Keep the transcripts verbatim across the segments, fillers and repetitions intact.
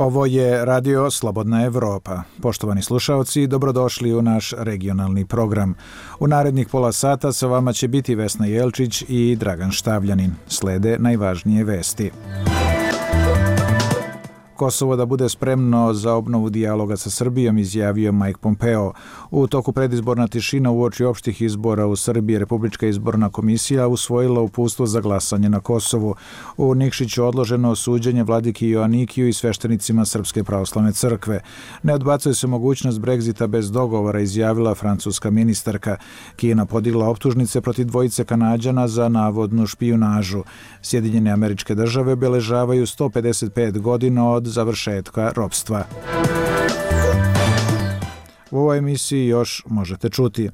Ovo je Radio Slobodna Evropa. Poštovani slušaoci, dobrodošli u naš regionalni program. U narednih pola sata sa vama će biti Vesna Jelčić i Dragan Štavljanin. Slede najvažnije vesti. Kosovo da bude spremno za obnovu dijaloga sa Srbijom, izjavio Mike Pompeo. U toku predizborna tišina uoči opštih izbora u Srbiji, Republička izborna komisija usvojila uputstvo za glasanje na Kosovu. U Nikšiću odloženo suđenje vladiki Joanikiju i sveštenicima Srpske pravoslavne crkve. Ne odbacuje se mogućnost Brexita bez dogovora, izjavila francuska ministarka. Kina podigla optužnice protiv dvojice Kanađana za navodnu špijunažu. Sjedinjene Američke Države obeležavaju sto pedeset pet godina od završetka ropstva. U ovoj emisiji još možete čuti.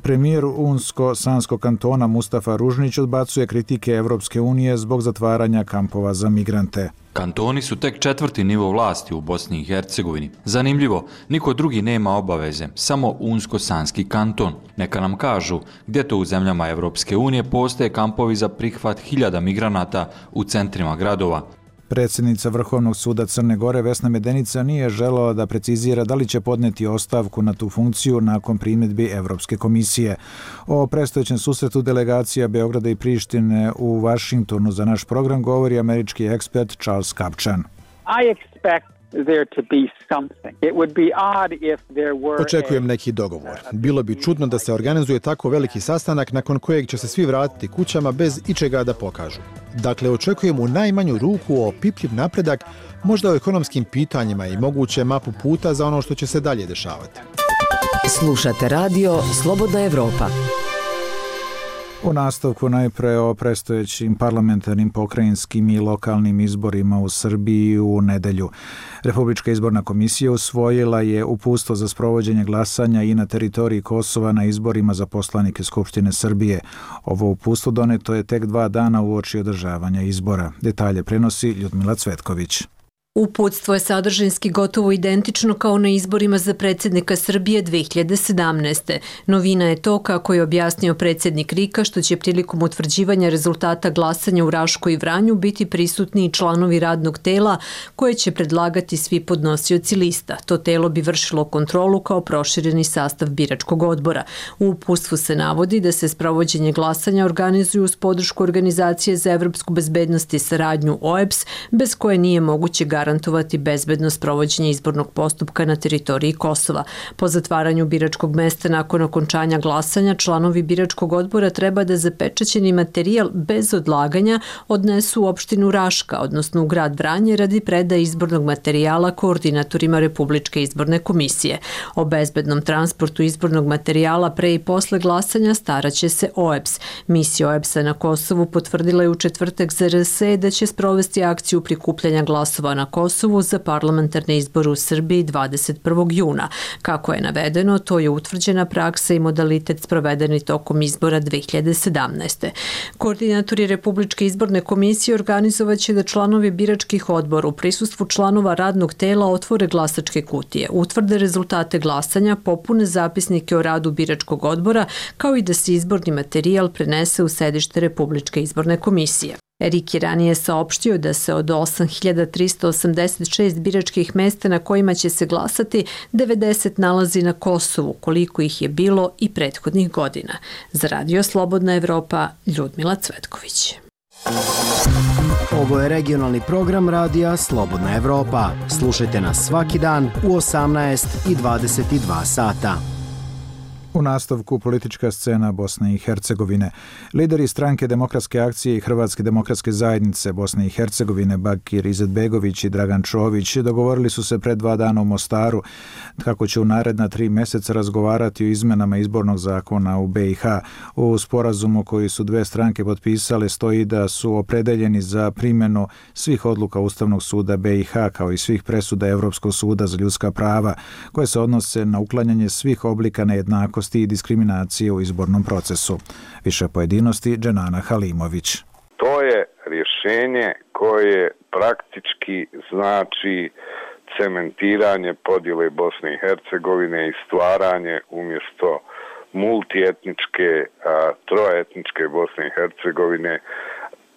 Premijer Unsko-Sanskog kantona Mustafa Ružnić odbacuje kritike Evropske unije zbog zatvaranja kampova za migrante. Kantoni su tek četvrti nivo vlasti u Bosni i Hercegovini. Zanimljivo, niko drugi nema obaveze, samo Unsko-Sanski kanton. Neka nam kažu gdje to u zemljama Evropske unije postoje kampovi za prihvat hiljada migranata u centrima gradova. Predsjednica Vrhovnog suda Crne Gore Vesna Medenica nije želela da precizira da li će podneti ostavku na tu funkciju nakon primjedbi Evropske komisije. O predstojećem susretu delegacija Beograda i Prištine u Vašingtonu za naš program govori američki ekspert Charles Kapčan. I expect there to be something. It would be odd if there were. Očekujem neki dogovor. Bilo bi čudno da se organizuje tako veliki sastanak nakon kojeg će se svi vratiti kućama bez ičega da pokažu. Dakle, očekujem u najmanju ruku opipljiv napredak, možda o ekonomskim pitanjima i moguće mapu puta za ono što će se dalje dešavati. Slušate radio Slobodna Evropa. U nastavku najpre o predstojećim parlamentarnim, pokrajinskim i lokalnim izborima u Srbiji u nedelju. Republička izborna komisija usvojila je uputstvo za sprovođenje glasanja i na teritoriji Kosova na izborima za poslanike Skupštine Srbije. Ovo uputstvo doneto je tek dva dana uoči održavanja izbora. Detalje prenosi Ljudmila Cvetković. Uputstvo je sadržinski gotovo identično kao na izborima za predsjednika Srbije dve hiljade sedamnaeste. Novina je to, kako je objasnio predsjednik RIK-a, što će prilikom utvrđivanja rezultata glasanja u Rašku i Vranju biti prisutni i članovi radnog tela koje će predlagati svi podnosioci lista. To telo bi vršilo kontrolu kao prošireni sastav biračkog odbora. U uputstvu se navodi da se sprovođenje glasanja organizuju uz podršku Organizacije za evropsku bezbednost i saradnju O E B S, bez koje nije moguće garantovati bezbedno sprovođenje izbornog postupka na teritoriji Kosova. Po zatvaranju biračkog mesta nakon okončanja glasanja, članovi biračkog odbora treba da zapečaćeni materijal bez odlaganja odnesu u opštinu Raška, odnosno u grad Vranje, radi predaje izbornog materijala koordinatorima Republičke izborne komisije. O bezbednom transportu izbornog materijala pre i posle glasanja staraće se O E B S. Misija O E B S-a na Kosovu potvrdila je u četvrtak za R S E da će sprovesti akciju prikupljanja glasova na Kosovu za parlamentarne izbore u Srbiji dvadeset prvog juna. Kako je navedeno, to je utvrđena praksa i modalitet sprovedeni tokom izbora dve hiljade sedamnaeste. Koordinatori Republičke izborne komisije organizovaće da članovi biračkih odbora u prisustvu članova radnog tela otvore glasačke kutije, utvrde rezultate glasanja, popune zapisnike o radu biračkog odbora, kao i da se izborni materijal prenese u sedište Republičke izborne komisije. RIK je ranije saopštio da se od osam hiljada trista osamdeset šest biračkih mesta na kojima će se glasati, devedeset nalazi na Kosovu, koliko ih je bilo i prethodnih godina. Za Radio Slobodna Evropa, Ljudmila Cvetković. Ovo je regionalni program Radija Slobodna Evropa. Slušajte nas svaki dan u osamnaest i dvadeset dva sata. U nastavku politička scena Bosne i Hercegovine. Lideri stranke Demokratske akcije i Hrvatske demokratske zajednice Bosne i Hercegovine Bakir Izetbegović i Dragan Čović dogovorili su se pred dva dana u Mostaru kako će u naredna tri mjeseca razgovarati o izmenama izbornog zakona u B i H. U sporazumu koji su dve stranke potpisale stoji da su opredeljeni za primjenu svih odluka Ustavnog suda B i H kao i svih presuda Evropskog suda za ljudska prava koje se odnose na uklanjanje svih oblika nejednakosti i diskriminacije u izbornom procesu. Više pojedinosti Dženana Halimović. To je rješenje koje praktički znači cementiranje podjele Bosne i Hercegovine i stvaranje umjesto multietničke, troetničke Bosne i Hercegovine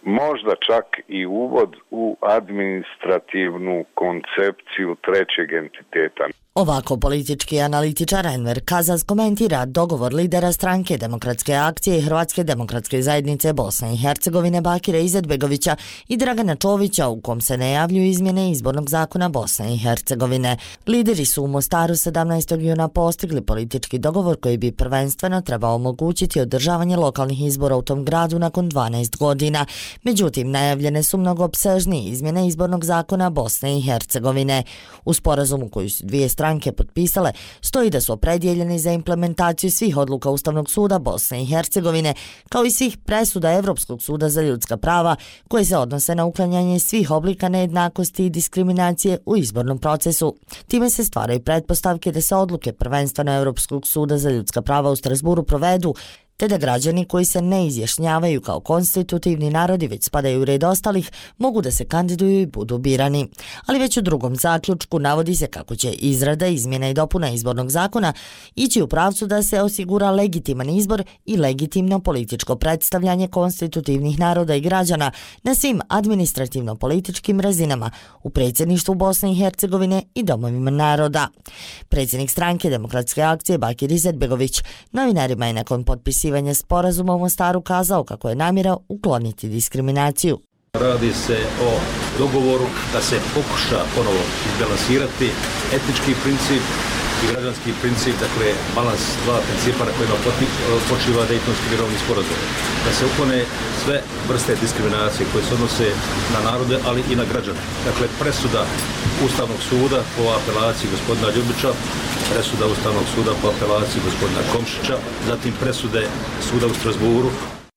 možda čak i uvod u administrativnu koncepciju trećeg entiteta. Ovako politički analitičar Enver Kazaz komentira dogovor lidera stranke Demokratske akcije i Hrvatske demokratske zajednice Bosne i Hercegovine Bakira Izetbegovića i Dragana Čovića u kom se najavljuju izmjene izbornog zakona Bosne i Hercegovine. Lideri su u Mostaru sedamnaestog juna postigli politički dogovor koji bi prvenstveno trebao omogućiti održavanje lokalnih izbora u tom gradu nakon dvanaest godina. Međutim, najavljene su mnogo opsežnije izmjene izbornog zakona Bosne i Hercegovine. U sporazumu koju su dvije strane stranke potpisale, stoji da su opredjeljeni za implementaciju svih odluka Ustavnog suda Bosne i Hercegovine, kao i svih presuda Evropskog suda za ljudska prava, koje se odnose na uklanjanje svih oblika nejednakosti i diskriminacije u izbornom procesu. Time se stvaraju pretpostavke da se odluke prvenstveno Evropskog suda za ljudska prava u Strasburu provedu, te da građani koji se ne izjašnjavaju kao konstitutivni narodi već spadaju u red ostalih mogu da se kandiduju i budu birani. Ali već u drugom zaključku navodi se kako će izrada izmjena i dopuna izbornog zakona ići u pravcu da se osigura legitiman izbor i legitimno političko predstavljanje konstitutivnih naroda i građana na svim administrativno-političkim razinama u predsjedništvu Bosne i Hercegovine i domovima naroda. Predsjednik stranke Demokratske akcije Bakir Izetbegović novinarima je nakon potpisivanja sporazuma u Mostaru kazao kako je namjera ukloniti diskriminaciju. Radi se o dogovoru da se pokuša ponovo izbalansirati etnički princip i građanski princip, dakle balans dva principa na kojima počiva Dejtonski mirovni sporazum. Da se uklone sve vrste diskriminacije koje se odnose na narode, ali i na građane. Dakle, presuda Ustavnog suda po apelaciji gospodina Ljubića, presuda Ustavnog suda po apelaciji gospodina Komšića, zatim presude suda u Strasburu.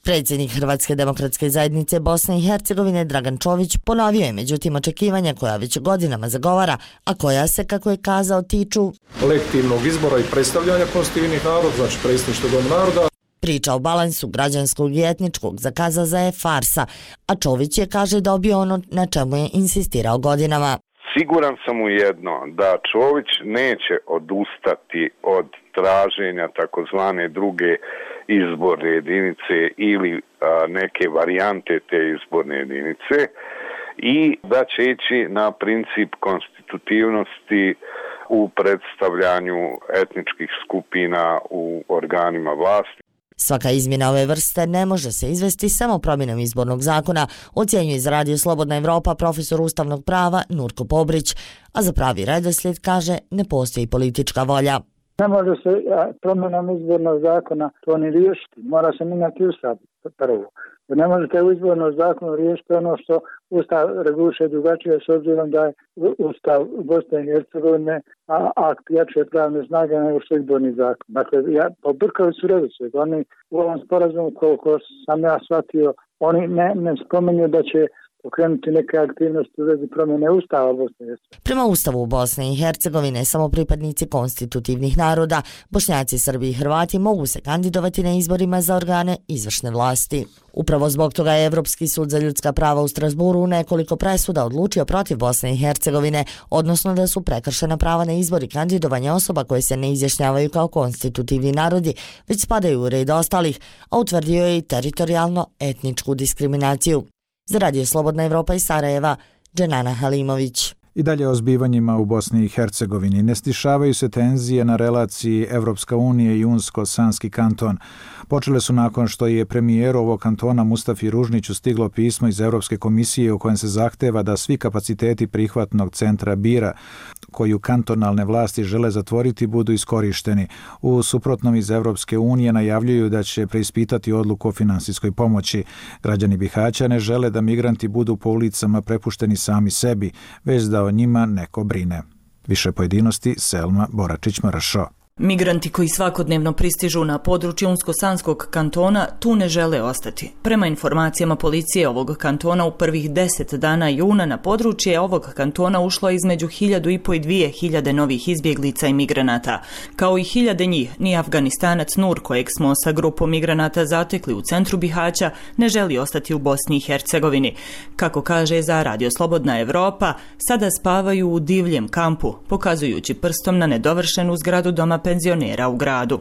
Predsjednik Hrvatske demokratske zajednice Bosne i Hercegovine Dragan Čović ponovio je međutim očekivanja koja već godinama zagovara, a koja se, kako je kazao, tiču legitimnog izbora i predstavljanja konstitutivnih naroda, znači predsjedništva doma naroda. Priča o balansu građanskog i etničkog za Kazaza je farsa, a Čović je, kaže, dobio ono na čemu je insistirao godinama. Siguran sam u jedno, da Čović neće odustati od traženja takozvane druge izborne jedinice ili a, neke varijante te izborne jedinice i da će ići na princip konstitutivnosti u predstavljanju etničkih skupina u organima vlasti. Svaka izmjena ove vrste ne može se izvesti samo promjenom izbornog zakona, ocjenjuje iz Radio Slobodna Evropa profesor ustavnog prava Nurko Pobrić, a za pravi redoslijed, kaže, ne postoji politička volja. Ne može se promjenom izbornog zakona to ni riješiti, mora se mijenjati ustav prvo. Ne možete u izbornom zakonu riješiti ono što ustav reguliše drugačije s obzirom da je ustav Bosne i Hercegovine akt jače pravne snage nego što je izborni zakon. Dakle, ja, pobrkali su redoslijed. Oni u ovom sporazumu, koliko sam ja shvatio, oni ne, ne spominju da će pokrenuti neke aktivnosti u vezi promjene ustava Bosne i Hercegovine. Prema ustavu Bosne i Hercegovine, samo pripadnici konstitutivnih naroda, Bošnjaci, Srbi i Hrvati mogu se kandidovati na izborima za organe izvršne vlasti. Upravo zbog toga je Evropski sud za ljudska prava u Strasburu u nekoliko presuda odlučio protiv Bosne i Hercegovine, odnosno da su prekršena prava na izbor i kandidovanje osoba koje se ne izjašnjavaju kao konstitutivni narodi, već spadaju u red ostalih, a utvrdio je i teritorijalno etničku diskriminaciju. Za Radio Slobodna Evropa iz Sarajeva, Dženana Halimović. I dalje o zbivanjima u Bosni i Hercegovini. Ne stišavaju se tenzije na relaciji Evropska unija i Unsko-Sanski kanton. Počele su nakon što je premijeru ovog kantona Mustafi Ružniću stiglo pismo iz Evropske komisije u kojem se zahteva da svi kapaciteti prihvatnog centra Bira, koju kantonalne vlasti žele zatvoriti, budu iskorišteni. U suprotnom iz Evropske unije najavljuju da će preispitati odluku o finansijskoj pomoći. Građani Bihaća ne žele da migranti budu po ulicama prepušteni sami sebi, već da o njima neko brine. Više pojedinosti Selma Boračić-Marašo. Migranti koji svakodnevno pristižu na područje Unsko-Sanskog kantona tu ne žele ostati. Prema informacijama policije ovog kantona u prvih deset dana juna na područje ovog kantona ušlo između hiljadu i po i dvije hiljade novih izbjeglica i migranata. Kao i hiljade njih, ni Afganistanac Nur, kojeg smo sa grupom migranata zatekli u centru Bihaća, ne želi ostati u Bosni i Hercegovini. Kako kaže za Radio Slobodna Evropa, sada spavaju u divljem kampu, pokazujući prstom na nedovršenu zgradu doma penzionera u gradu.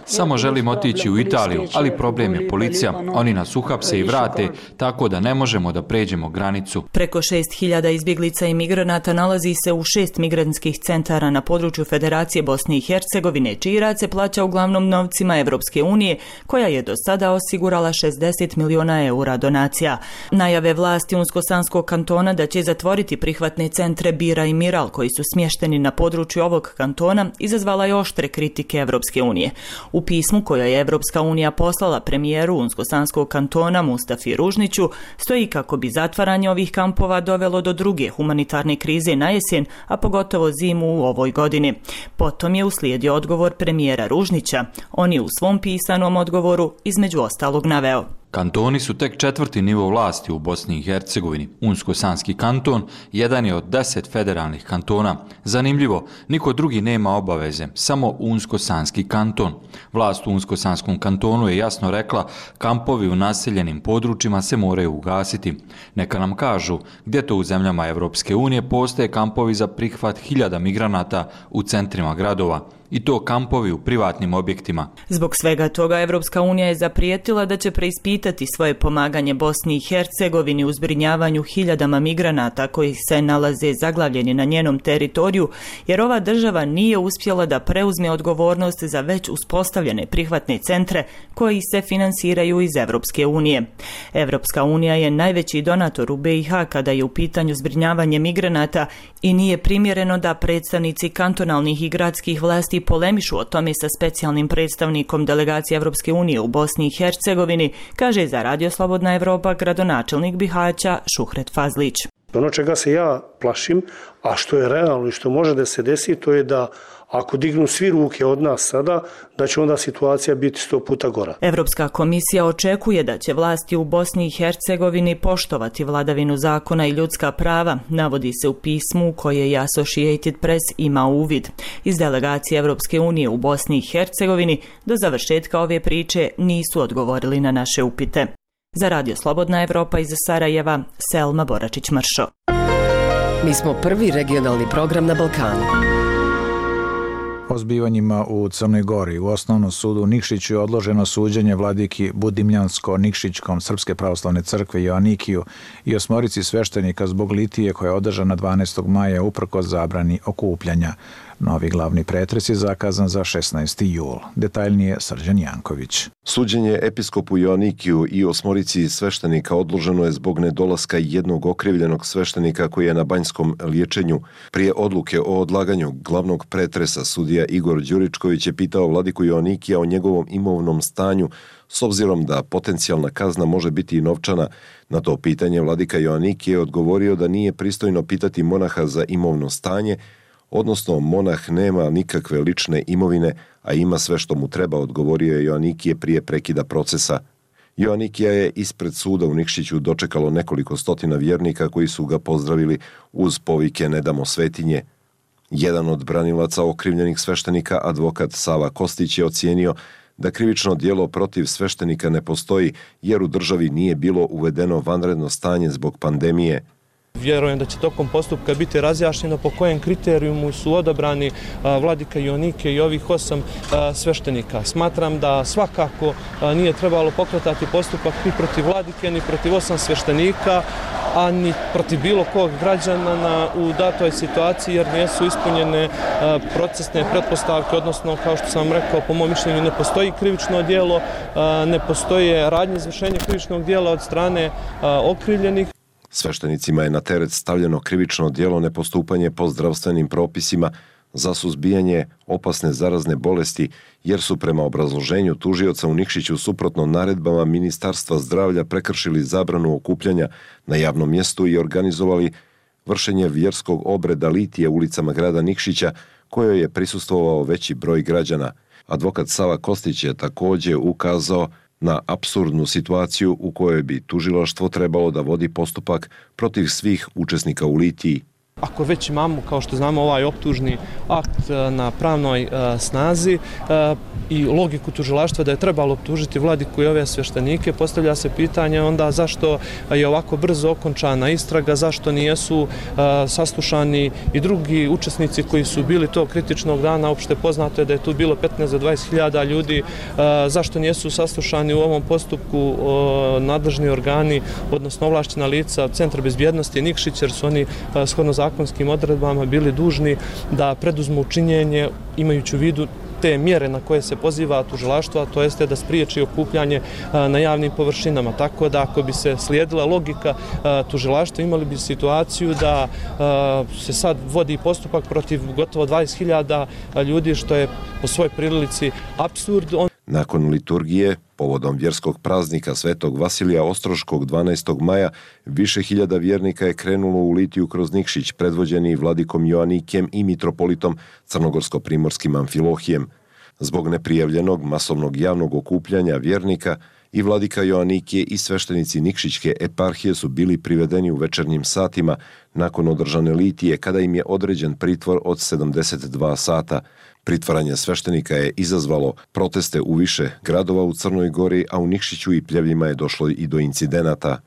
Samo želim otići u Italiju, ali problem je policija. Oni nas uhapse i vrate, tako da ne možemo da pređemo granicu. Preko šest hiljada izbjeglica i migranata nalazi se u šest migrantskih centara na području Federacije Bosne i Hercegovine, čiji rad se plaća uglavnom novcima Evropske unije, koja je do sada osigurala šezdeset miliona eura donacija. Najave vlasti Unsko-Sanskog kantona da će zatvoriti prihvatne centre Bira i Miral, koji su smješteni na području ovog kantona, izazvala je oštre kritike Evropske unije. U pismu koje je Evropska unija poslala premijeru Unsko-Sanskog kantona Mustafi Ružniću stoji kako bi zatvaranje ovih kampova dovelo do druge humanitarne krize na jesen, a pogotovo zimu u ovoj godini. Potom je uslijedio odgovor premijera Ružnića. On je u svom pisanom odgovoru između ostalog naveo: Kantoni su tek četvrti nivo vlasti u Bosni i Hercegovini. Unsko-Sanski kanton jedan je od deset federalnih kantona. Zanimljivo, niko drugi nema obaveze, samo Unsko-Sanski kanton. Vlast u Unsko-Sanskom kantonu je jasno rekla, kampovi u naseljenim područjima se moraju ugasiti. Neka nam kažu gdje to u zemljama Evropske unije postoje kampovi za prihvat hiljada migranata u centrima gradova. I to kampovi u privatnim objektima. Zbog svega toga Evropska unija je zaprijetila da će preispitati svoje pomaganje Bosni i Hercegovini u zbrinjavanju hiljadama migranata koji se nalaze zaglavljeni na njenom teritoriju, jer ova država nije uspjela da preuzme odgovornost za već uspostavljene prihvatne centre koji se finansiraju iz Evropske unije. Evropska unija je najveći donator u be i ha kada je u pitanju zbrinjavanje migranata i nije primjereno da predstavnici kantonalnih i gradskih vlasti polemišu o tome sa specijalnim predstavnikom delegacije Evropske unije u Bosni i Hercegovini, kaže za Radio Slobodna Evropa gradonačelnik Bihaća Šuhret Fazlić. Ono čega se ja plašim, a što je realno i što može da se desi, to je da ako dignu svi ruke od nas sada, da će onda situacija biti sto puta gora. Evropska komisija očekuje da će vlasti u Bosni i Hercegovini poštovati vladavinu zakona i ljudska prava, navodi se u pismu koje je Associated Press ima uvid. Iz delegacije Evropske unije u Bosni i Hercegovini do završetka ove priče nisu odgovorili na naše upite. Za Radio Slobodna Evropa iz Sarajeva, Selma Boračić-Mršo. Mi smo prvi regionalni program na Balkanu. O zbivanjima u Crnoj Gori u Osnovnom sudu u Nikšiću je odloženo suđenje vladiki Budimljansko-Nikšićkom Srpske pravoslavne crkve Joanikiju i osmorici sveštenika zbog litije koja je održana dvanaestog maja uprkos zabrani okupljanja. Novi glavni pretres je zakazan za šesnaesti jul. Detaljnije Srđan Janković. Suđenje episkopu Joanikiju i osmorici sveštenika odloženo je zbog nedolaska jednog okrivljenog sveštenika koji je na banjskom liječenju. Prije odluke o odlaganju glavnog pretresa sudija Igor Đuričković je pitao vladiku Joanikija o njegovom imovnom stanju s obzirom da potencijalna kazna može biti i novčana. Na to pitanje vladika Joanikije je odgovorio da nije pristojno pitati monaha za imovno stanje, odnosno monah nema nikakve lične imovine, a ima sve što mu treba, odgovorio je Joanikije prije prekida procesa. Joanikija je ispred suda u Nikšiću dočekalo nekoliko stotina vjernika koji su ga pozdravili uz povike "Ne damo svetinje". Jedan od branilaca okrivljenih sveštenika, advokat Sava Kostić, je ocijenio da krivično djelo protiv sveštenika ne postoji jer u državi nije bilo uvedeno vanredno stanje zbog pandemije. Vjerujem da će tokom postupka biti razjašnjeno po kojem kriterijumu su odabrani vladika Joanike i ovih osam sveštenika. Smatram da svakako nije trebalo pokretati postupak ni protiv vladike, ni protiv osam sveštenika, a ni protiv bilo kog građana u datoj situaciji, jer nisu ispunjene procesne pretpostavke, odnosno, kao što sam rekao, po mom mišljenju ne postoji krivično djelo, ne postoje radnje izvršenja krivičnog djela od strane okrivljenih. Sveštenicima je na teret stavljeno krivično djelo nepostupanje po zdravstvenim propisima za suzbijanje opasne zarazne bolesti, jer su prema obrazloženju tužioca u Nikšiću suprotno naredbama Ministarstva zdravlja prekršili zabranu okupljanja na javnom mjestu i organizovali vršenje vjerskog obreda litije ulicama grada Nikšića, kojoj je prisustvovao veći broj građana. Advokat Sava Kostić je također ukazao na apsurdnu situaciju u kojoj bi tužilaštvo trebalo da vodi postupak protiv svih učesnika u litiji. Ako već imamo, kao što znamo, ovaj optužni akt na pravnoj snazi i logiku tužilaštva da je trebalo optužiti vladiku i ove sveštenike, postavlja se pitanje onda zašto je ovako brzo okončana istraga, zašto nijesu saslušani i drugi učesnici koji su bili tog kritičnog dana, opšte poznato je da je tu bilo petnaest do dvadeset hiljada ljudi, zašto nijesu saslušani u ovom postupku nadležni organi, odnosno ovlašćena lica Centra bezbjednosti Nikšić, jer su oni shodno zakonskim odredbama bili dužni da preduzmu činjenje imajući u vidu te mjere na koje se poziva tužilaštvo, a to jeste da spriječi okupljanje na javnim površinama. Tako da ako bi se slijedila logika tužilaštva, imali bi situaciju da se sad vodi postupak protiv gotovo dvadeset hiljada ljudi, što je po svojoj prilici apsurd. Nakon liturgije, povodom vjerskog praznika Svetog Vasilija Ostroškog dvanaestog maja, više hiljada vjernika je krenulo u litiju kroz Nikšić, predvođeni vladikom Joanikijem i mitropolitom crnogorsko-primorskim Amfilohijem. Zbog neprijavljenog masovnog javnog okupljanja vjernika, i vladika Joanikije i sveštenici Nikšićke eparhije su bili privedeni u večernjim satima nakon održane litije, kada im je određen pritvor od sedamdeset dva sata. Pritvaranje sveštenika je izazvalo proteste u više gradova u Crnoj Gori, a u Nikšiću i Pljevljima je došlo i do incidenata.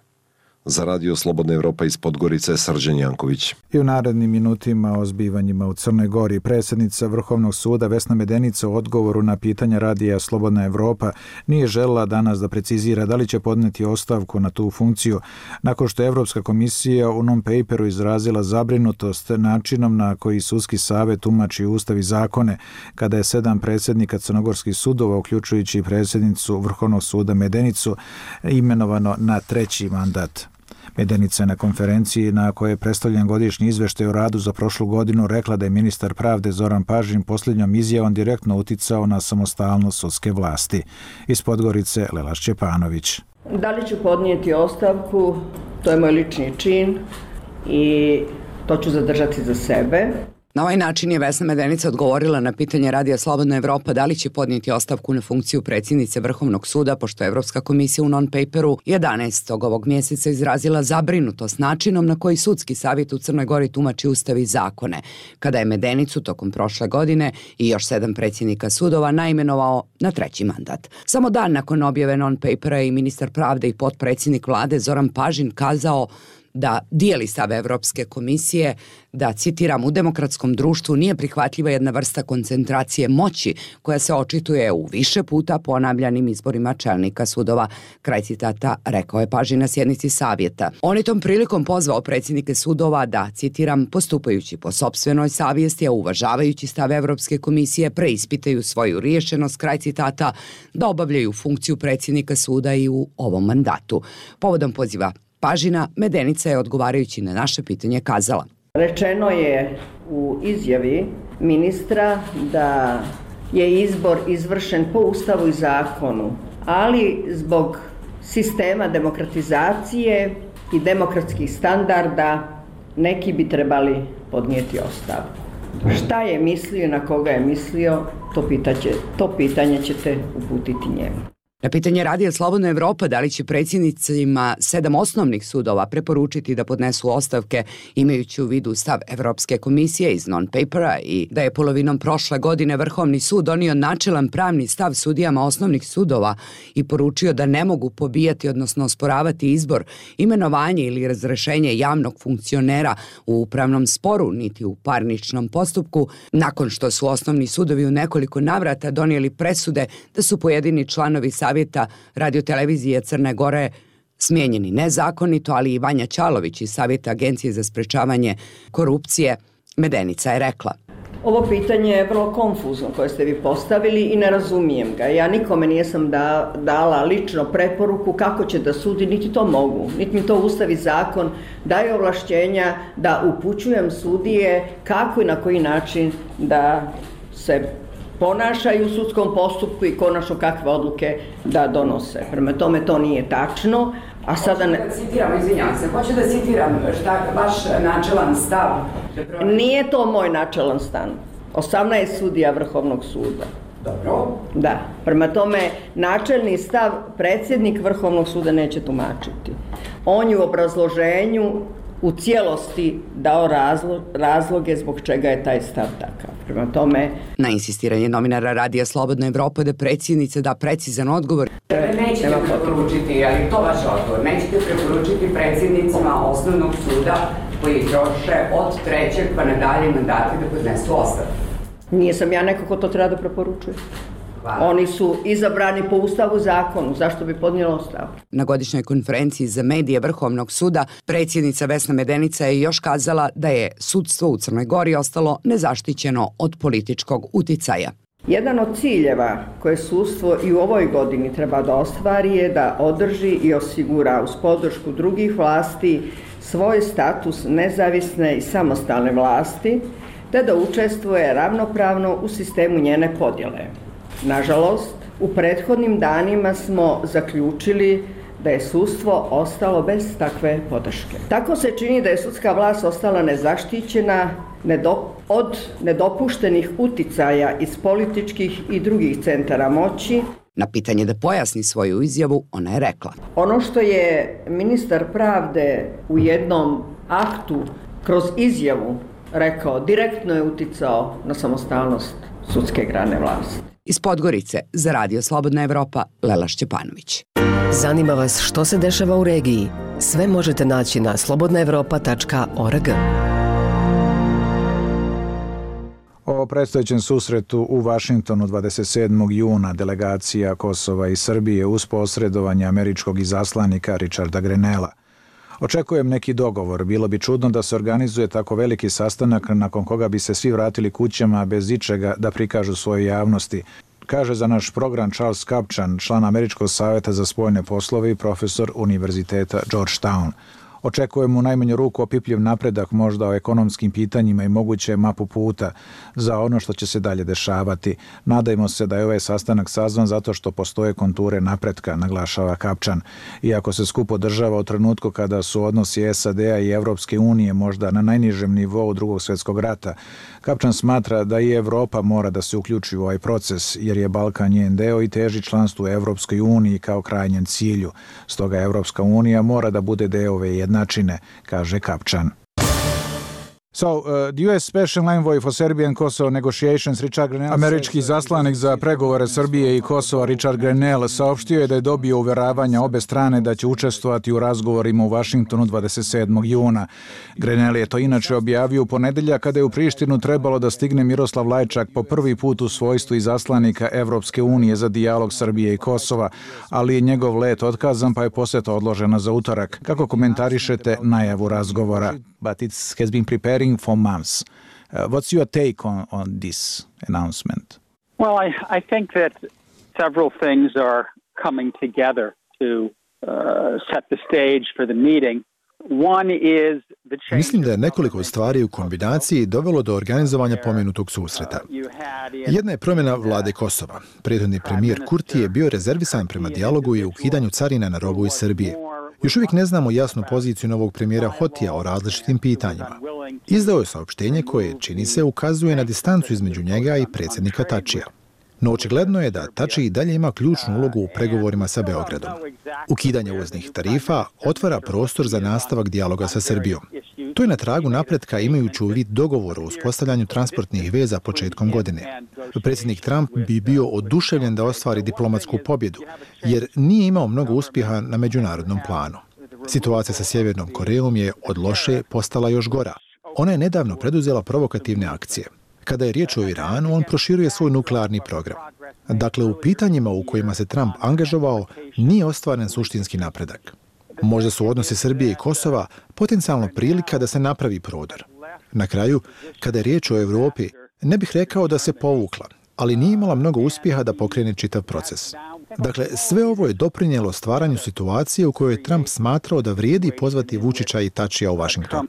Za Radio Slobodna Evropa iz Podgorice, Srđan Janković. I u narednim minutima o zbivanjima u Crnoj Gori predsjednica Vrhovnog suda Vesna Medenica u odgovoru na pitanja Radija Slobodna Evropa nije željela danas da precizira da li će podneti ostavku na tu funkciju, nakon što je Evropska komisija u non-paperu izrazila zabrinutost načinom na koji sudski savjet tumači ustav i zakone, kada je sedam predsjednika crnogorskih sudova, uključujući i predsjednicu Vrhovnog suda Medenicu, imenovano na treći mandat. Medenica je na konferenciji na kojoj je predstavljen godišnji izveštaj o radu za prošlu godinu rekla da je ministar pravde Zoran Pažin posljednjom izjavom direktno uticao na samostalnost sudske vlasti. Iz Podgorice, Lela Šćepanović. Da li ću podnijeti ostavku, to je moj lični čin i to ću zadržati za sebe. Na ovaj način je Vesna Medenica odgovorila na pitanje Radija Slobodna Evropa da li će podnijeti ostavku na funkciju predsjednice Vrhovnog suda, pošto je Evropska komisija u non-paperu jedanaestog ovog mjeseca izrazila zabrinutost načinom na koji sudski savjet u Crnoj Gori tumači ustav i zakone, kada je Medenicu tokom prošle godine i još sedam predsjednika sudova naimenovao na treći mandat. Samo dan nakon objave non-papera je i ministar pravde i potpredsjednik vlade Zoran Pažin kazao da dijeli stav Evropske komisije, da, citiram, u demokratskom društvu nije prihvatljiva jedna vrsta koncentracije moći koja se očituje u više puta ponavljanim izborima čelnika sudova. Kraj citata, rekao je Pažin na sjednici savjeta. On je tom prilikom pozvao predsjednike sudova da, citiram, postupajući po sopstvenoj savjesti, a uvažavajući stav Evropske komisije, preispitaju svoju riješenost, kraj citata, da obavljaju funkciju predsjednika suda i u ovom mandatu. Povodom poziva Pažina, Medenica je odgovarajući na naše pitanje kazala. Rečeno je u izjavi ministra da je izbor izvršen po ustavu i zakonu, ali zbog sistema demokratizacije i demokratskih standarda neki bi trebali podnijeti ostavku. Šta je mislio i na koga je mislio, to, pitaće, to pitanje ćete uputiti njemu. Na pitanje Radija Slobodna Evropa da li će predsjednicima sedam osnovnih sudova preporučiti da podnesu ostavke imajući u vidu stav Evropske komisije iz non-papera i da je polovinom prošle godine Vrhovni sud donio načelan pravni stav sudijama osnovnih sudova i poručio da ne mogu pobijati, odnosno osporavati izbor, imenovanje ili razrešenje javnog funkcionera u upravnom sporu niti u parničnom postupku, nakon što su osnovni sudovi u nekoliko navrata donijeli presude da su pojedini članovi Savjeta radiotelevizije Crne Gore smijenjeni nezakonito, ali i Vanja Ćalović iz Savjeta Agencije za sprečavanje korupcije, Medenica je rekla. Ovo pitanje je vrlo konfuzno koje ste vi postavili i ne razumijem ga. Ja nikome nisam da, dala lično preporuku kako će da sudi, niti to mogu. Niti mi to ustav i zakon daje ovlašćenja da upućujem sudije kako i na koji način da se ponašaju u sudskom postupku i konačno kakve odluke da donose. Prema tome to nije tačno. A sada ne... Hoću da citiram, izvinjam se, hoću da citiram šta vaš načelan stav. Nije to moj načelan stav. osamnaest sudija Vrhovnog suda. Dobro. Da. Prema tome, načelni stav predsjednik Vrhovnog suda neće tumačiti. On je u obrazloženju u cijelosti dao razlog, razloge zbog čega je taj stav takav. Prema tome... Na insistiranje novinara Radija Slobodna Evropa da predsjednica da precizan odgovor. Nećete preporučiti, ali to vaš odgovor, nećete preporučiti predsjednicima osnovnog suda koji troše od trećeg pa nadalje mandati da podnesu ostavku. Nije sam ja neko ko to treba da preporučuje. Oni su izabrani po ustavu zakonu, zašto bi podnijela ostavku? Na godišnjoj konferenciji za medije Vrhovnog suda predsjednica Vesna Medenica je još kazala da je sudstvo u Crnoj Gori ostalo nezaštićeno od političkog uticaja. Jedan od ciljeva koje sudstvo i u ovoj godini treba da ostvari je da održi i osigura uz podršku drugih vlasti svoj status nezavisne i samostalne vlasti, te da učestvuje ravnopravno u sistemu njene podjele. Nažalost, u prethodnim danima smo zaključili da je sudstvo ostalo bez takve podrške. Tako se čini da je sudska vlast ostala nezaštićena od nedopuštenih uticaja iz političkih i drugih centara moći. Na pitanje da pojasni svoju izjavu, ona je rekla: Ono što je ministar pravde u jednom aktu kroz izjavu rekao, direktno je uticao na samostalnost sudske grane vlasti. Iz Podgorice za Radio Slobodna Evropa, Lela Šćepanović. Zanima vas što se dešava u regiji? Sve možete naći na slobodna evropa tačka org. O predstojećem susretu u Vašingtonu dvadeset sedmog juna delegacija Kosova i Srbije uz posredovanje američkog izaslanika Richarda Grenella. Očekujem neki dogovor. Bilo bi čudno da se organizuje tako veliki sastanak nakon koga bi se svi vratili kućama bez ičega da prikažu svoje javnosti, kaže za naš program Charles Kapčan, član Američkog savjeta za spoljne poslove i profesor Univerziteta Georgetown. Očekujemo u najmanju ruku opipljiv napredak možda o ekonomskim pitanjima i moguće mapu puta za ono što će se dalje dešavati. Nadajmo se da je ovaj sastanak sazvan zato što postoje konture napretka, naglašava Kapčan. Iako se skup održava u trenutku kada su odnosi S A D-a i Evropske unije možda na najnižem nivou drugog svjetskog rata, Kapčan smatra da i Evropa mora da se uključi u ovaj proces, jer je Balkan njen deo i teži članstvu u Evropskoj uniji kao krajnjem cilju. Stoga Evropska unija mora da bude deo ove jednačine, kaže Kapčan. So, uh, the U S Special Envoy for Serbia and Kosovo negotiations Richard Grenell... Američki zaslanik za pregovore Srbije i Kosova Richard Grenell saopštio je da je dobio uveravanja obe strane da će učestvovati u razgovorima u Vašingtonu dvadeset sedmog juna. Grenell je to inače objavio u ponedeljak kada je u Prištinu trebalo da stigne Miroslav Lajčak po prvi put u svojstvu izaslanika Evropske unije za dijalog Srbije i Kosova, ali je njegov let otkazan pa je poseta odložena za utorak. Kako komentarišete najavu razgovora? But it has been preparing for months. Uh, what's your take on, on this announcement? Well, I, I think that several things are coming together to uh, set the stage for the meeting. One is the change. Mislim da je nekoliko stvari u kombinaciji dovelo do organizovanja pomenutog susreta. Jedna je promjena vlade Kosova. Prethodni premijer Kurti je bio rezervisan prema dijalogu i ukidanju carina na robu iz Srbije. Još uvijek ne znamo jasnu poziciju novog premijera Hotija o različitim pitanjima. Izdao je saopštenje koje, čini se, ukazuje na distancu između njega i predsjednika Tačija. No očigledno je da Tači i dalje ima ključnu ulogu u pregovorima sa Beogradom. Ukidanje uvoznih tarifa otvara prostor za nastavak dijaloga sa Srbijom. To je na tragu napretka imajući u vid dogovora o uspostavljanju transportnih veza početkom godine. Predsjednik Trump bi bio oduševljen da ostvari diplomatsku pobjedu, jer nije imao mnogo uspjeha na međunarodnom planu. Situacija sa Sjevernom Korejom je od loše postala još gora. Ona je nedavno preduzela provokativne akcije. Kada je riječ o Iranu, on proširuje svoj nuklearni program. Dakle, u pitanjima u kojima se Trump angažovao, nije ostvaren suštinski napredak. Možda su odnosi Srbije i Kosova potencijalno prilika da se napravi prodor. Na kraju, kada je riječ o Evropi, ne bih rekao da se povukla, ali nije imala mnogo uspjeha da pokrene čitav proces. Dakle, sve ovo je doprinijelo stvaranju situacije u kojoj je Trump smatrao da vrijedi pozvati Vučića i Tačija u Vašington.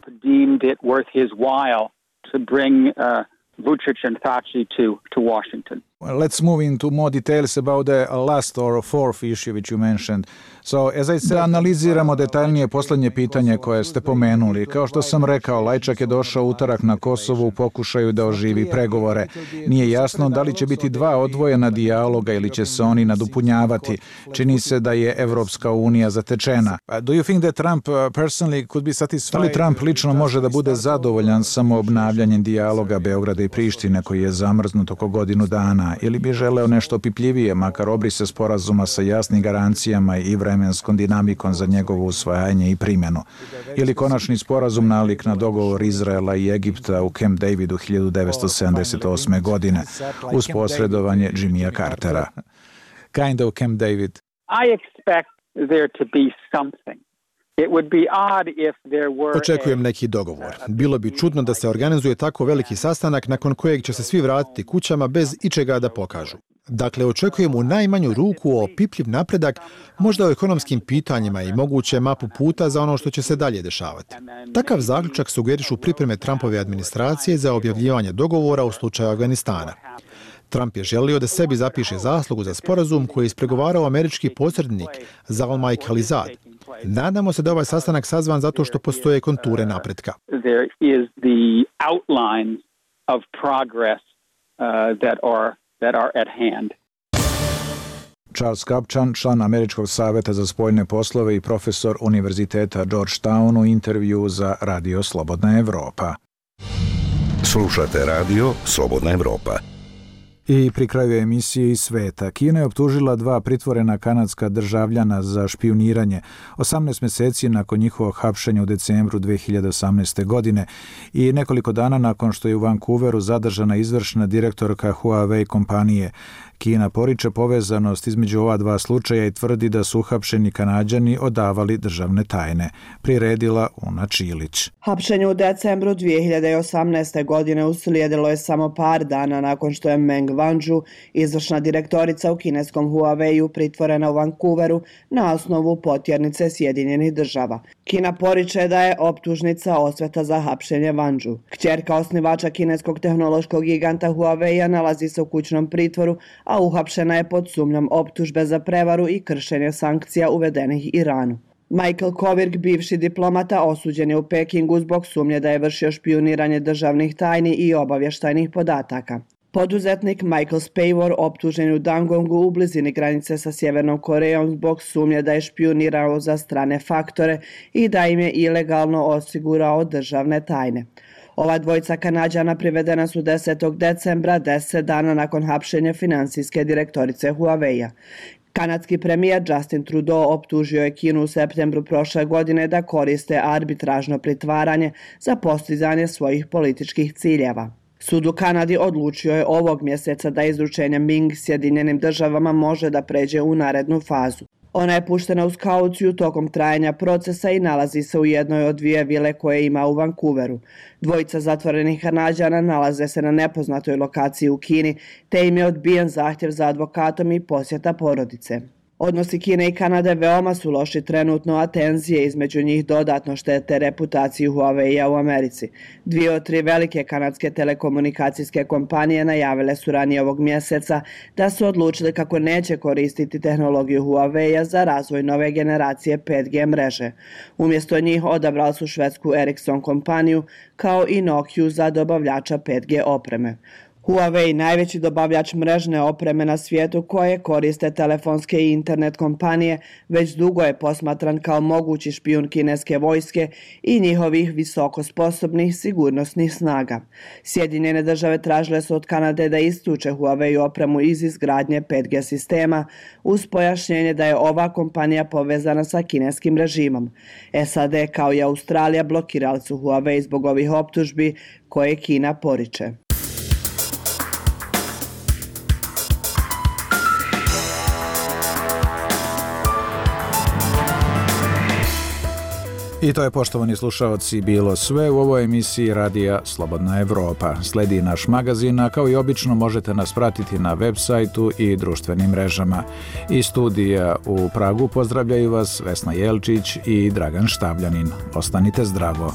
Let's move into more details about the last or fourth issue which you mentioned. So, as I said, analiziramo detaljnije posljednje pitanje koje ste pomenuli. Kao što sam rekao, Lajčak je došao utorak na Kosovo u pokušaju da oživi pregovore. Nije jasno da li će biti dva odvojena dijaloga ili će se oni nadopunjavati. Čini se da je Evropska unija zatečena. Do you think that Trump personally could be satisfied? Da li Trump lično može da bude zadovoljan samo obnavljanjem dijaloga Beograda i Prištine koji je zamrznut oko godinu dana, ili bi želeo nešto opipljivije, makar obrise sporazuma sa jasnim garancijama i vremenskom dinamikom za njegovo usvajanje i primjenu, ili konačni sporazum nalik na dogovor Izraela i Egipta u Camp Davidu hiljadu devetsto sedamdeset osme. godine uz posredovanje Jimmya Cartera. Kind of Camp David. I expect there to be something. It would be odd if there were Očekujem neki dogovor. Bilo bi čudno da se organizuje tako veliki sastanak nakon kojeg će se svi vratiti kućama bez ičega da pokažu. Dakle, očekujem u najmanju ruku opipljiv napredak, možda o ekonomskim pitanjima i moguće mapu puta za ono što će se dalje dešavati. Takav zaključak sugerišu pripreme Trumpove administracije za objavljivanje dogovora u slučaju Afganistana. Trump je želio da sebi zapiše zaslugu za sporazum koji je ispregovarao američki posrednik Zalmay Khalilzad. Nadamo se da ovaj sastanak sazvan zato što postoje konture napretka. There is the outlines of progress uh, that are that are at hand. Charles Kupchan, član Američkog saveta za spoljne poslove i profesor Univerziteta Georgetown, u intervju za Radio Slobodna Evropa. Slušate Radio Slobodna Evropa. I pri kraju emisije iz sveta, Kina je optužila dva pritvorena kanadska državljana za špijuniranje osamnaest mjeseci nakon njihovog hapšenja u decembru dve hiljade osamnaeste. godine i nekoliko dana nakon što je u Vancouveru zadržana izvršna direktorka Huawei kompanije. Kina poriče povezanost između ova dva slučaja i tvrdi da su uhapšeni Kanađani odavali državne tajne. Priredila Una Čilić. Hapšenje u decembru dve hiljade osamnaeste. godine uslijedilo je samo par dana nakon što je Meng Wanzhou, izvršna direktorica u kineskom Huawei-u, pritvorena u Vancouveru na osnovu potjernice Sjedinjenih država. Kina poriče da je optužnica osveta za hapšenje Wanzhou. Kćerka osnivača kineskog tehnološkog giganta Huawei-a nalazi se u kućnom pritvoru, a uhapšena je pod sumnjom optužbe za prevaru i kršenje sankcija uvedenih Iranu. Michael Kovrig, bivši diplomata, osuđen je u Pekingu zbog sumnje da je vršio špijuniranje državnih tajni i obavještajnih podataka. Poduzetnik Michael Spavor optužen je u Dangongu u blizini granice sa Sjevernom Korejom zbog sumnje da je špijunirao za strane faktore i da im je ilegalno osigurao državne tajne. Ova dvojica Kanađana privedena su desetog decembra, deset dana nakon hapšenja finansijske direktorice Huawei-a. Kanadski premijer Justin Trudeau optužio je Kinu u septembru prošle godine da koriste arbitražno pritvaranje za postizanje svojih političkih ciljeva. Sud u Kanadi odlučio je ovog mjeseca da izručenje Ming Sjedinjenim državama može da pređe u narednu fazu. Ona je puštena uz kauciju tokom trajanja procesa i nalazi se u jednoj od dvije vile koje ima u Vancouveru. Dvojica zatvorenih Kanađana nalaze se na nepoznatoj lokaciji u Kini, te im je odbijen zahtjev za advokatom i posjeta porodice. Odnosi Kine i Kanade veoma su loši trenutno, a tenzije između njih dodatno štete reputaciju Huawei-a u Americi. Dvije od tri velike kanadske telekomunikacijske kompanije najavile su ranije ovog mjeseca da su odlučili kako neće koristiti tehnologiju Huawei-a za razvoj nove generacije pet G mreže. Umjesto njih odabrali su švedsku Ericsson kompaniju kao i Nokia za dobavljača pet G opreme. Huawei, najveći dobavljač mrežne opreme na svijetu koje koriste telefonske i internet kompanije, već dugo je posmatran kao mogući špijun kineske vojske i njihovih visoko sposobnih sigurnosnih snaga. Sjedinjene države tražile su od Kanade da isključe Huawei opremu iz izgradnje pet G sistema uz pojašnjenje da je ova kompanija povezana sa kineskim režimom. S A D kao i Australija blokirali su Huawei zbog ovih optužbi koje Kina poriče. I to je, poštovani slušaoci, bilo sve u ovoj emisiji Radija Slobodna Evropa. Sledi naš magazin, a kao i obično možete nas pratiti na web sajtu i društvenim mrežama. Iz studija u Pragu pozdravljaju vas Vesna Jelčić i Dragan Štavljanin. Ostanite zdravo.